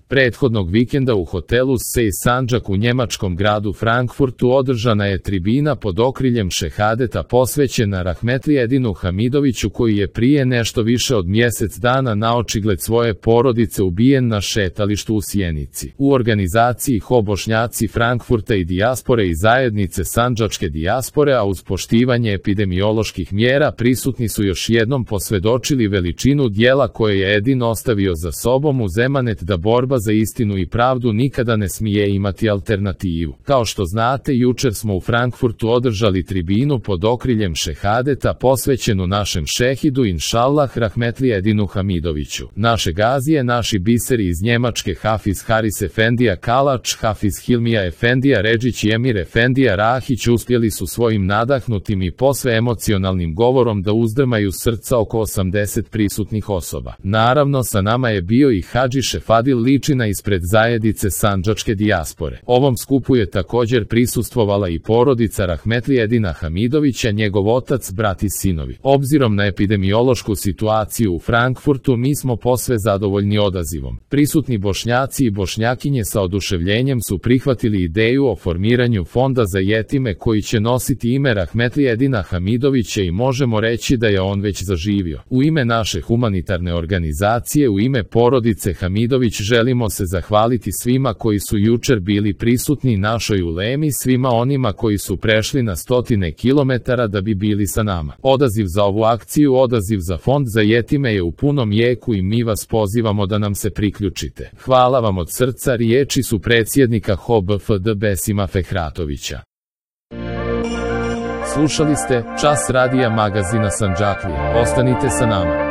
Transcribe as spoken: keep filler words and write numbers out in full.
Prethodnog vikenda u hotelu Sej Sandžak u njemačkom gradu Frankfurtu održana je tribina pod okriljem šehadeta posvećena Rahmetli Edinu Hamidoviću, koji je prije nešto više od mjesec dana naočigled svoje porodice ubijen na šetalištu u Sjenici. U organizaciji Ho Bošnjaci Frankfurta i dijaspore i zajednice sandžačke dijaspore, a uz poštivanje epidemioloških mjera, prisutni su još jednom posvjedočili veličinu dijela koje je Edin ostavio za sobom uz emanet da borba za istinu i pravdu nikada ne smije imati alternativu. Kao što znate, jučer smo u Frankfurtu održali tribinu pod okriljem šehadeta posvećenu našem šehidu inšallah Rahmetli Edinu Hamidoviću. Naše gazije, naši biseri iz Njemačke Hafiz Haris Efendija Kalač, Hafiz Hilmija Efendija Redžić i Emir Efendija Rahić uspjeli su svojim nadahnutim i posve emocionalnim govorom da uzdrmaju srca oko osamdeset prisutnih osoba. Naravno, sa nama je bio i Hadži Šefadil Ličina ispred zajednice sandžačke dijaspore. Ovom skupu je također prisustvovala i porodica Rahmetli Edina Hamidovića, njegov otac, brat i sinovi. Obzirom na epidemiološku situaciju u Frankfurtu, mi smo posve zadovoljni odazivom. Prisutni Bošnjaci i Bošnjakinje sa oduševljenjem su prihvatili ideju o formiranju fonda za jetime koji će nositi ime Rahmetli Edina Hamidovića i možemo reći da je on već zaživio. U ime naše humanitarne organizacije, u ime porodice Hamidović, želimo se zahvaliti svima koji su jučer bili prisutni našoj ulemi, svima onima koji su prešli na stotine kilometara da bi bili sa nama. Odaziv za ovu akciju, odaziv za fond za jetime je u punom jeku i mi vas pozivamo da nam se priključite. Hvala vam od srca, riječi su predsjednika H O B F D Besima Fehratovića. Slušali ste Čas radija magazina Sandžaklije. Ostanite sa nama.